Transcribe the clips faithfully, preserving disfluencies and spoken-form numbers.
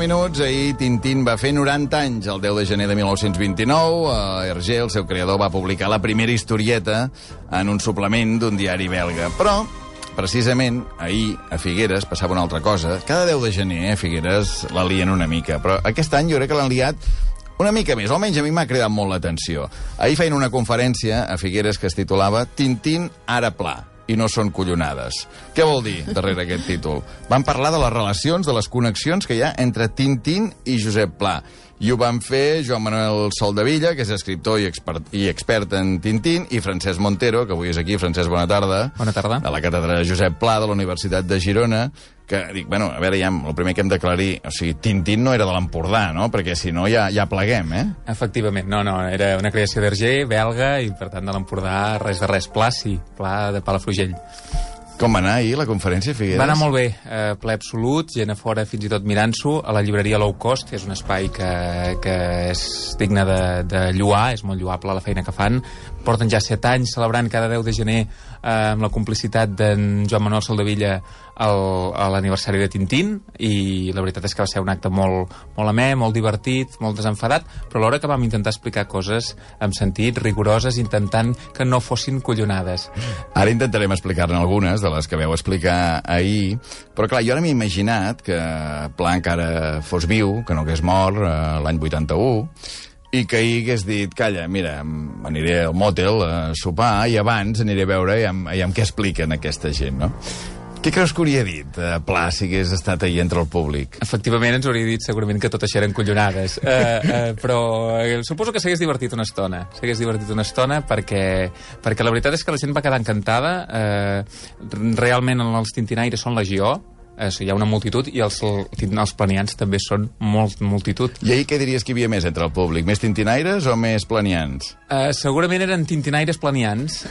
minuts. Ahir Tintín va fer noranta anys. El deu de gener de mil nou-cents vint-i-nou, Hergé, el seu creador, va publicar la primera historieta en un suplement d'un diari belga. Però, precisament, ahir, a Figueres, passava una altra cosa. Cada deu de gener, a Figueres, la lien una mica. Però aquest any jo crec que l'han liat una mica més. Almenys a mi m'ha cridat molt l'atenció. Ahir feien una conferència a Figueres que es titulava Tintín ara pla. I no són collonades. Què vol dir darrere aquest títol? Van parlar de les relacions, de les connexions que hi ha entre Tintín i Josep Pla. I ho van fer Joan Manuel Soldevilla, que és escriptor i expert, i expert en Tintín, i Francesc Montero, que avui és aquí. Francesc, bona tarda. Bona tarda. De la càtedra Josep Pla de la Universitat de Girona, que dic, bueno, a veure, ja, el primer que hem d'aclarir, o sigui, Tintín no era de l'Empordà, no? Perquè si no ja, ja pleguem, eh? Efectivament, no, no, era una creació d'Hergé, belga, i per tant de l'Empordà, res de res. Pla, sí, Pla de Palafrugell. Com va anar ahir la conferència, Figueres? Va anar molt bé, eh, ple absolut, gent a fora fins i tot mirant-s'ho, a la llibreria Low Cost, que és un espai que, que és digne de, de lloar, és molt lloable la feina que fan. Porten ja set anys celebrant cada deu de gener eh, amb la complicitat d'en Joan Manuel Soldevilla el, a l'aniversari de Tintín, i la veritat és que va ser un acte molt, molt amè, molt divertit, molt desenfadat, però alhora que vam intentar explicar coses amb sentit, rigoroses, intentant que no fossin collonades. Ara intentarem explicar-ne algunes de les que veu explicar ahir, però clar, jo ara m'he imaginat que Pla encara fos viu, que no hagués mort eh, l'any vuitanta-u, i que ahir hagués dit, calla, mira, aniré al motel a sopar i abans aniré a veure i amb, i amb què expliquen aquesta gent, no? Què creus que hauria dit eh, Pla si hagués estat ahir entre el públic? Efectivament, ens hauria dit segurament que tot això eren collonades. Uh, uh, però uh, suposo que s'hagués divertit una estona. S'hagués divertit una estona perquè, perquè la veritat és que la gent va quedar encantada. Uh, realment els tintinaires són legió. Uh, hi ha una multitud, i els, els planians també són molt multitud. I ahir què diries que hi havia més entre el públic? Més tintinaires o més planians? Uh, segurament eren tintinaires planians.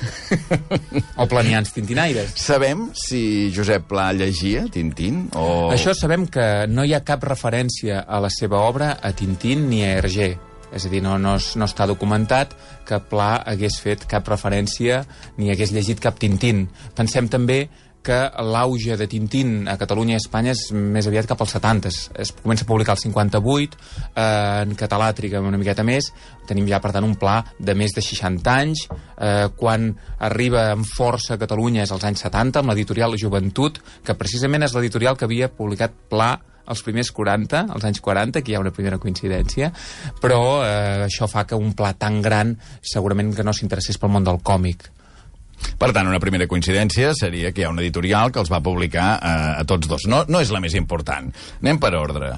O planians tintinaires. Sabem si Josep Pla llegia Tintín? O... Això sabem que no hi ha cap referència a la seva obra a Tintín ni a Hergé. És a dir, no, no, no està documentat que Pla hagués fet cap referència ni hagués llegit cap Tintín. Pensem també que l'auge de Tintín a Catalunya i a Espanya és més aviat cap als setanta. Es comença a publicar el cinquanta-vuit, eh, en català triga una miqueta més, tenim ja, per tant, un Pla de més de seixanta anys, eh, quan arriba amb força a Catalunya és als anys setanta, amb l'editorial Joventut, que precisament és l'editorial que havia publicat Pla els primers quaranta, als anys quaranta, aquí hi ha una primera coincidència, però eh, això fa que un Pla tan gran segurament que no s'interessés pel món del còmic. Per tant, una primera coincidència seria que hi ha una editorial que els va publicar eh, a tots dos. No, no és la més important. Anem per ordre.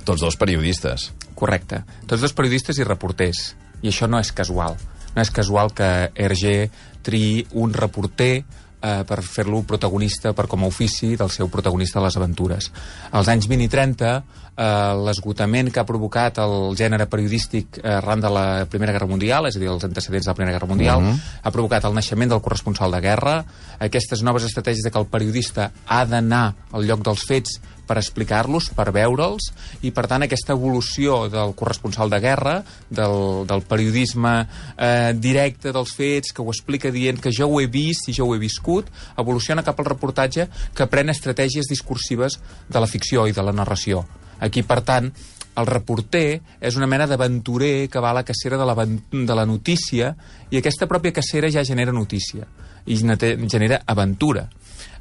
Tots dos periodistes. Correcte. Tots dos periodistes i reporters. I això no és casual. No és casual que Hergé triï un reporter eh, per fer-lo protagonista, per com a ofici del seu protagonista de les aventures. Als anys vint i trenta, eh, l'esgotament que ha provocat el gènere periodístic arran de la Primera Guerra Mundial, és a dir, els antecedents de la Primera Guerra Mundial, uh-huh. ha provocat el naixement del corresponsal de guerra, aquestes noves estratègies de que el periodista ha d'anar al lloc dels fets per explicar-los, per veure'ls, i per tant aquesta evolució del corresponsal de guerra, del, del periodisme eh, directe dels fets, que ho explica dient que jo ho he vist i jo ho he viscut, evoluciona cap al reportatge que pren estratègies discursives de la ficció i de la narració. Aquí, per tant, el reporter és una mena d'aventurer que va a la cacera de la, de la notícia, i aquesta pròpia cacera ja genera notícia i genera aventura.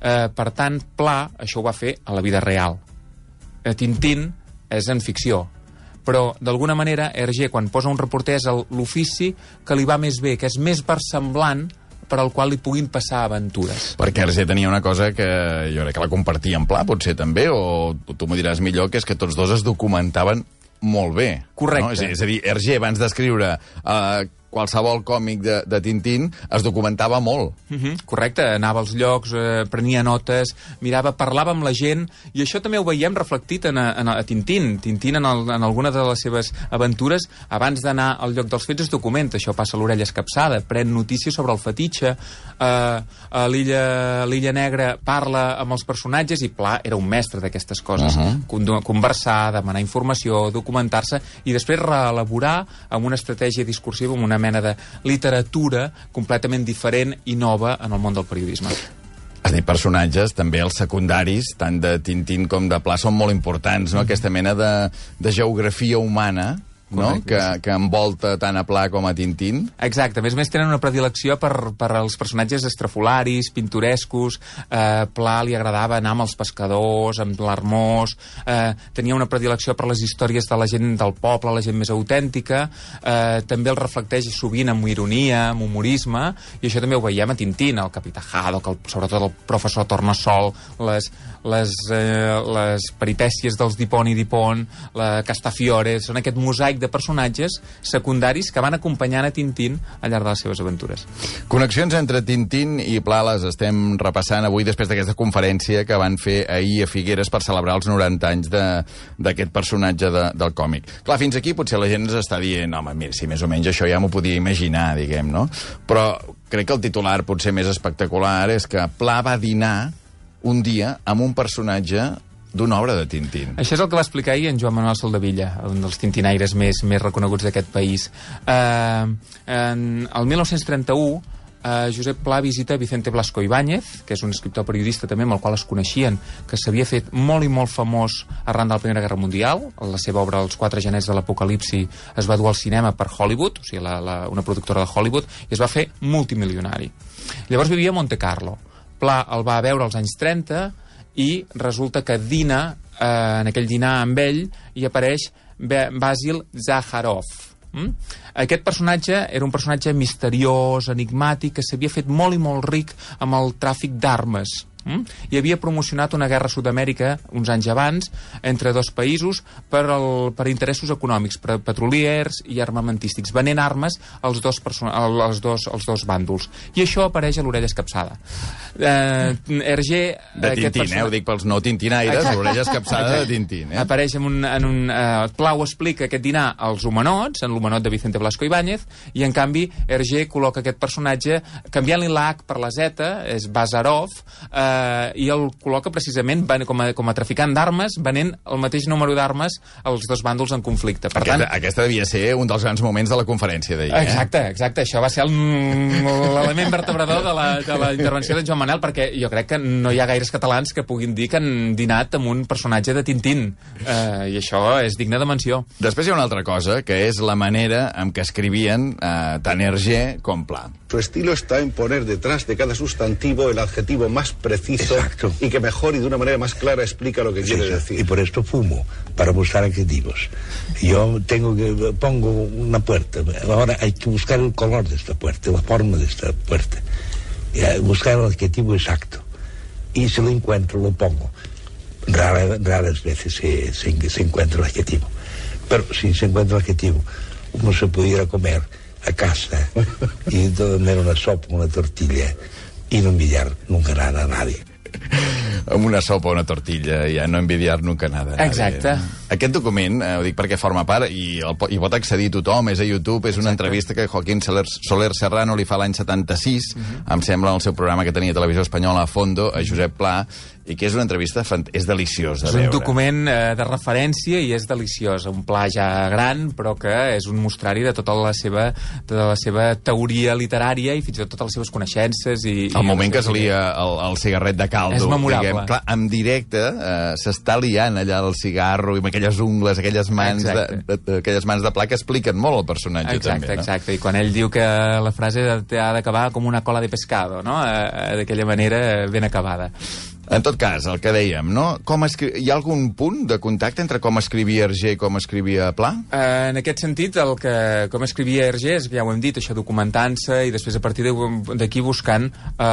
Eh, per tant, Pla això ho va fer a la vida real. Eh, Tintín és en ficció, però d'alguna manera Hergé, quan posa un reporter, és l'ofici que li va més bé, que és més versemblant, per al qual li puguin passar aventures. Perquè Hergé tenia una cosa que jo crec que la compartia en Pla, potser també, o tu m'ho diràs millor, que és que tots dos es documentaven molt bé. Correcte. No? És, és a dir, Hergé, abans d'escriure eh, qualsevol còmic de, de Tintín, es documentava molt. Uh-huh. Correcte, anava als llocs, eh, prenia notes, mirava, parlava amb la gent, i això també ho veiem reflectit en a, en a Tintín. Tintín, en, el, en alguna de les seves aventures, abans d'anar al lloc dels fets, es documenta. Això passa a l'Orella Escapçada, pren notícies sobre el fetitxe, eh, a l'Illa Negra parla amb els personatges, i Pla era un mestre d'aquestes coses. Uh-huh. Conversar, demanar informació, documentar-se, i després reelaborar amb una estratègia discursiva, amb una mena de literatura completament diferent i nova en el món del periodisme. Has dit personatges, també els secundaris, tant de Tintín com de Pla, són molt importants, no? Mm-hmm. Aquesta mena de, de geografia humana, no? Que, que envolta tant a Pla com a Tintín. Exacte, a més a més tenen una predilecció per, per als personatges estrafolaris, pintorescos. eh, Pla li agradava anar amb els pescadors, amb l'Hermós, eh, tenia una predilecció per les històries de la gent del poble, la gent més autèntica, eh, també el reflecteix sovint amb ironia, amb humorisme, i això també ho veiem a Tintín, el Capità Haddock, el, sobretot el professor Tornassol, les, les, eh, les peripècies dels Dipon i Dipon, la Castafiore, són aquest mosaic de personatges secundaris que van acompanyant a Tintín al llarg de les seves aventures. Connexions entre Tintín i Pla les estem repassant avui després d'aquesta conferència que van fer ahir a Figueres per celebrar els noranta anys d'aquest personatge de, del còmic. Clar, fins aquí potser la gent ens està dient, home, mira, si més o menys això ja m'ho podia imaginar, diguem, no? Però crec que el titular potser més espectacular és que Pla va dinar un dia amb un personatge d'una obra de Tintín. Això és el que va explicar ahir en Joan Manuel Soldevilla, un dels tintinaires més, més reconeguts d'aquest país. Eh, en, el mil nou-cents trenta-u, eh, Josep Pla visita Vicente Blasco Ibáñez, que és un escriptor periodista també amb el qual es coneixien, que s'havia fet molt i molt famós arran de la Primera Guerra Mundial. La seva obra, Els quatre genets de l'Apocalipsi, es va dur al cinema per Hollywood, o sigui, la, la, una productora de Hollywood, i es va fer multimilionari. Llavors vivia a Monte Carlo. Pla el va veure als anys trenta i resulta que dina, eh, en aquell dinar amb ell, i apareix Basil Zakharov. Mm? Aquest personatge era un personatge misteriós, enigmàtic, que s'havia fet molt i molt ric amb el tràfic d'armes. Mm? I havia promocionat una guerra a Sud-amèrica uns anys abans entre dos països per, el, per interessos econòmics, per petroliers i armamentístics, venent armes als dos, als dos, als dos bàndols. I això apareix a l'Orella Escapçada. Eh, Hergé... De Tintín, person... eh? Ho dic pels no tintinaires, l'Orella Escapçada de Tintín. Eh? Apareix en un... En un eh, Plau explica aquest dinar als humanots, en l'humanot de Vicente Blasco Ibáñez, i en canvi Hergé col·loca aquest personatge, canviant-li l'H per la Z, és Bazarov, eh, i el col·loca precisament com a, com a traficant d'armes, venent el mateix número d'armes als dos bàndols en conflicte. Per aquesta, tant, aquesta devia ser un dels grans moments de la conferència d'ahir. Eh? Exacte, exacte. Això va ser l'element vertebrador de la, de la intervenció de Joan Manel, perquè jo crec que no hi ha gaires catalans que puguin dir que han dinat amb un personatge de Tintín. Eh, I això és digne de menció. Després hi ha una altra cosa, que és la manera en què escrivien eh, tant Hergé com Pla. Su estilo está en poner detrás de cada sustantivo el adjetivo más preciso. Exacto. Y que mejor y de una manera más clara explica lo que sí, quiere decir. Y por esto fumo, para buscar adjetivos. Yo tengo que pongo una puerta, ahora hay que buscar el color de esta puerta, la forma de esta puerta, y buscar el adjetivo exacto. Y si lo encuentro, lo pongo. Rara, raras veces se, se, se encuentra el adjetivo. Pero si se encuentra el adjetivo, uno se pudiera comer a casa y comer una sopa, una tortilla y no envidiar nunca nada a nadie. Amb una sopa o una tortilla, ja no envidiar nunca nada. Exacte. Aquest document, eh, ho dic perquè forma part, i el, i pot accedir tothom, és a YouTube, és una Exacte. entrevista que Joaquín Soler, Soler Serrano li fa l'any setanta-sis, uh-huh. em sembla, en el seu programa que tenia a Televisió Espanyola a Fondo, a Josep Pla, i que és una entrevista, fant... és deliciós de és veure. És un document eh, de referència i és deliciós, un Pla ja gran, però que és un mostrari de tota la seva, de la seva teoria literària i fins i tot totes les seves coneixences. I, el i moment que es lia el, el cigarret de caldo. És memorable. Diguem, clar, en directe eh, s'està liant allà el cigarro i amb aquelles ungles, aquelles mans, de, de, de, aquelles mans de Pla que expliquen molt el personatge. Exacte, també, no? Exacte, i quan ell diu que la frase ha d'acabar com una cola de pescado, no? Eh, d'aquella manera ben acabada. En tot cas, el que dèiem, no? Com escri... Hi ha algun punt de contacte entre com escrivia Hergé i com escrivia Pla? Uh, en aquest sentit, el que, com escrivia Hergé, és, ja ho hem dit, això documentant-se i després a partir d'aquí buscant uh,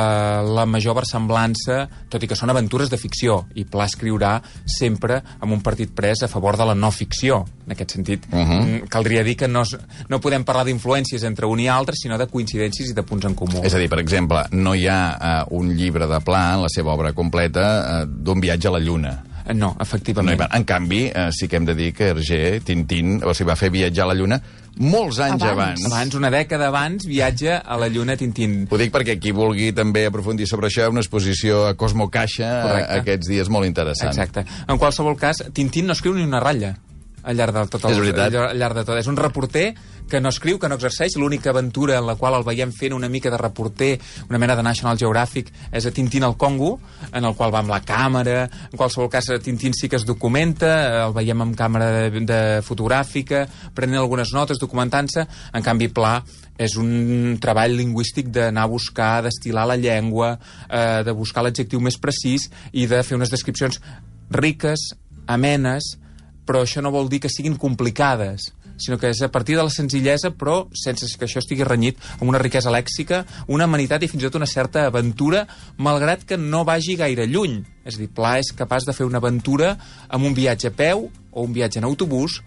la major versemblança, tot i que són aventures de ficció, i Pla escriurà sempre amb un partit pres a favor de la no ficció. En aquest sentit, uh -huh. caldria dir que no, no podem parlar d'influències entre un i altre, sinó de coincidències i de punts en comú. És a dir, per exemple, no hi ha uh, un llibre de Pla en la seva obra completa d'un viatge a la Lluna. No, efectivament. No, en canvi, eh, sí que hem de dir que Hergé, Tintín, o sigui, va fer viatjar a la Lluna molts anys abans. Abans, abans una dècada abans, viatja a la Lluna Tintín. Ho dic perquè qui vulgui també aprofundir sobre això, una exposició a Cosmo Caixa a, aquests dies molt interessant. Exacte. En qualsevol cas, Tintín no escriu ni una ratlla. al llarg de tot. El, És veritat. al llarg de tot. És un reporter que no escriu, que no exerceix. L'única aventura en la qual el veiem fent una mica de reporter, una mena de National Geographic, és a Tintín al Congo, en el qual va amb la càmera. En qualsevol cas, Tintín sí que es documenta, el veiem amb càmera de, de fotogràfica, prenent algunes notes, documentant-se. En canvi, Pla és un treball lingüístic d'anar a buscar, d'estilar la llengua, eh, de buscar l'adjectiu més precís i de fer unes descripcions riques, amenes, però això no vol dir que siguin complicades, sinó que és a partir de la senzillesa, però sense que això estigui renyit amb una riquesa lèxica, una amenitat i fins i tot una certa aventura, malgrat que no vagi gaire lluny. És a dir, Pla és capaç de fer una aventura amb un viatge a peu o un viatge en autobús.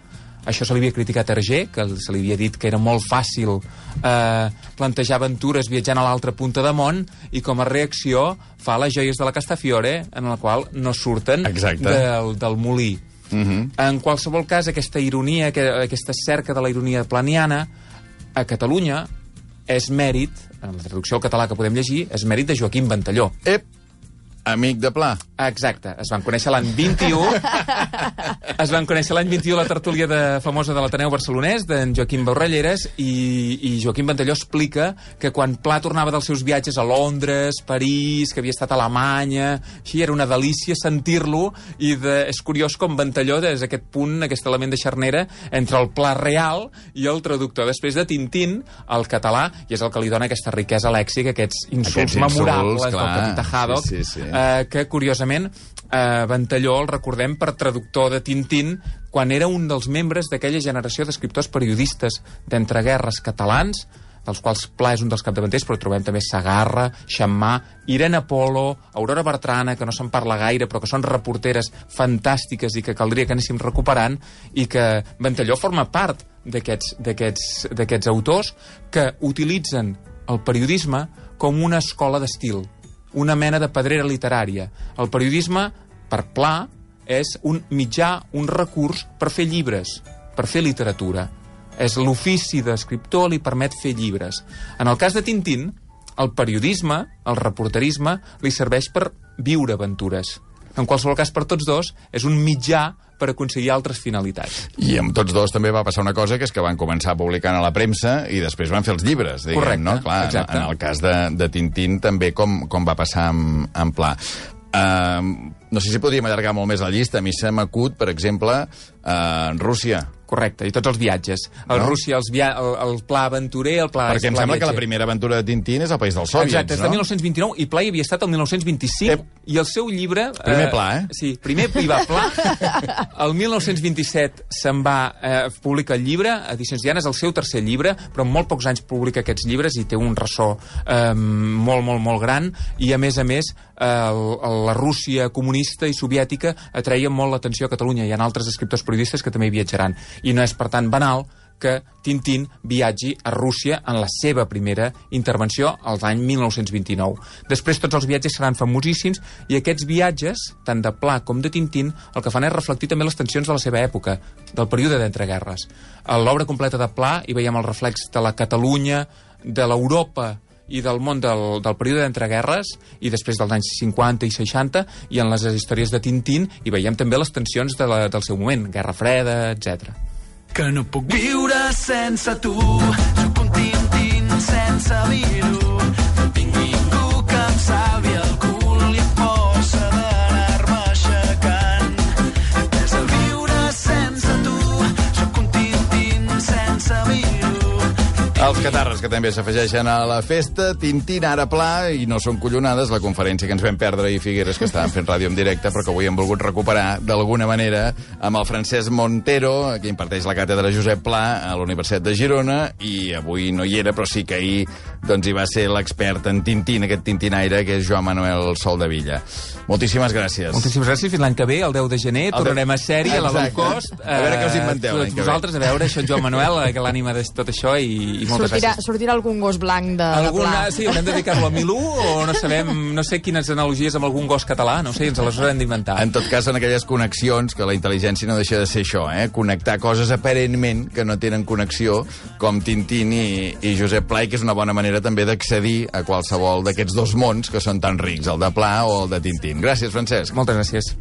Això se li havia criticat a Hergé, que se li havia dit que era molt fàcil eh, plantejar aventures viatjant a l'altra punta de món, i com a reacció fa les joies de la Castafiore, en la qual no surten del, del molí. Uh-huh. En qualsevol cas, aquesta ironia, aquesta cerca de la ironia planiana, a Catalunya és mèrit, en la traducció al català que podem llegir, és mèrit de Joaquim Ventalló. Ep! Amic de Pla. Exacte. Es van conèixer l'any vint-i-u. Es van conèixer l'any vint-i-u la tertúlia de, famosa de l'Ateneu Barcelonès, d'en Joaquim Borrelleres, i, i Joaquim Ventalló explica que quan Pla tornava dels seus viatges a Londres, París, que havia estat a Alemanya, així, era una delícia sentir-lo, i de, és curiós com Ventalló, des d'aquest punt, aquest element de xarnera, entre el Pla real i el traductor després de Tintín al català, i és el que li dona aquesta riquesa lèxica, aquests insults, aquests insults memorables clar, del Capità Haddock, sí, sí, sí. Eh, que, curiosament, eh, Ventalló el recordem per traductor de Tintín quan era un dels membres d'aquella generació d'escriptors periodistes d'entreguerres catalans, dels quals Pla és un dels capdavanters, però trobem també Sagarra, Xammà, Irene Polo, Aurora Bertrana, que no se'n parla gaire, però que són reporteres fantàstiques i que caldria que anéssim recuperant, i que Ventalló forma part d'aquests d'aquests d'aquests autors que utilitzen el periodisme com una escola d'estil, una mena de pedrera literària. El periodisme, per Pla, és un mitjà, un recurs per fer llibres, per fer literatura. És l'ofici d'escriptor, li permet fer llibres. En el cas de Tintín, el periodisme, el reporterisme, li serveix per viure aventures. En qualsevol cas, per tots dos, és un mitjà per aconseguir altres finalitats. I amb tots dos també va passar una cosa, que és que van començar publicant a la premsa i després van fer els llibres, diguem, correcte, no? Clar, exacte. En el cas de, de Tintín també com, com va passar amb, amb Pla. Uh, no sé si podríem allargar molt més la llista. A mi se m'acut, per exemple, uh, Rússia. Correcte, i tots els viatges. El no? Rússia, els via el, el Pla aventurer, el Pla... Perquè em pla sembla viatger. Que la primera aventura de Tintín és al País dels Sòviets, exacte, és de no? mil nou-cents vint-i-nou, i Pla hi havia estat el mil nou-cents vint-i-cinc, Ep. I el seu llibre... Primer Pla, eh? Sí, primer hi va Pla. El mil nou-cents vint-i-set se'n va... Eh, publica el llibre, Edicions Diana, és el seu tercer llibre, però en molt pocs anys publica aquests llibres i té un ressò eh, molt, molt, molt gran, i a més a més eh, el, la Rússia comunista i soviètica atreia molt l'atenció a Catalunya. Hi ha altres escriptors periodistes que també hi viatjaran. I no és, per tant, banal que Tintín viatgi a Rússia en la seva primera intervenció als l'any mil nou-cents vint-i-nou. Després tots els viatges seran famosíssims, i aquests viatges, tant de Pla com de Tintín, el que fan és reflectir també les tensions de la seva època, del període d'entreguerres. A l'obra completa de Pla hi veiem el reflex de la Catalunya, de l'Europa i del món del, del període d'entreguerres, i després dels anys cinquanta i seixanta, i en les històries de Tintín hi veiem també les tensions de la, del seu moment, Guerra Freda, etcètera. Que no puc viure sense tu, sóc un Tintín sense dir-ho, no tinc ningú que em salvi el cul i em posa d'anar-me aixecant. És el viure sense tu, sóc un Tintín sense dir-ho. Els catarres que també s'afegeixen a la festa, Tintín ara Pla, i no són collonades, la conferència que ens vam perdre i Figueres, que estaven fent ràdio en directe, però que avui hem volgut recuperar d'alguna manera amb el Francesc Montero, que imparteix la càtedra Josep Pla a la Universitat de Girona, i avui no hi era, però sí que ahir doncs, hi va ser l'expert en Tintín, aquest tintinaire, que és Joan Manuel Soldevilla. Moltíssimes gràcies. Moltíssimes gràcies. Fins l'any que ve, el deu de gener, el tornarem a sèrie, a la low cost. A veure què us inventeu l'any que ve. Vosaltres, a veure, això, Joan Manuel, l'ànima de tot això, i, i moltes sortirà, gràcies. Sortirà algun gos blanc de, Alguna, de Pla. sí, haurem de dedicar-lo a Milú, o no sabem, no sé quines analogies amb algun gos català, no sé, ens les haurem d'inventar. En tot cas, són aquelles connexions, que la intel·ligència no deixa de ser això, eh? Connectar coses aparentment que no tenen connexió, com Tintín i, i Josep Pla, i que és una bona manera també d'accedir a qualsevol d'aquests dos mons que són tan rics, el de Pla o el de Tintín. Gràcies, Francesc. Moltes gràcies.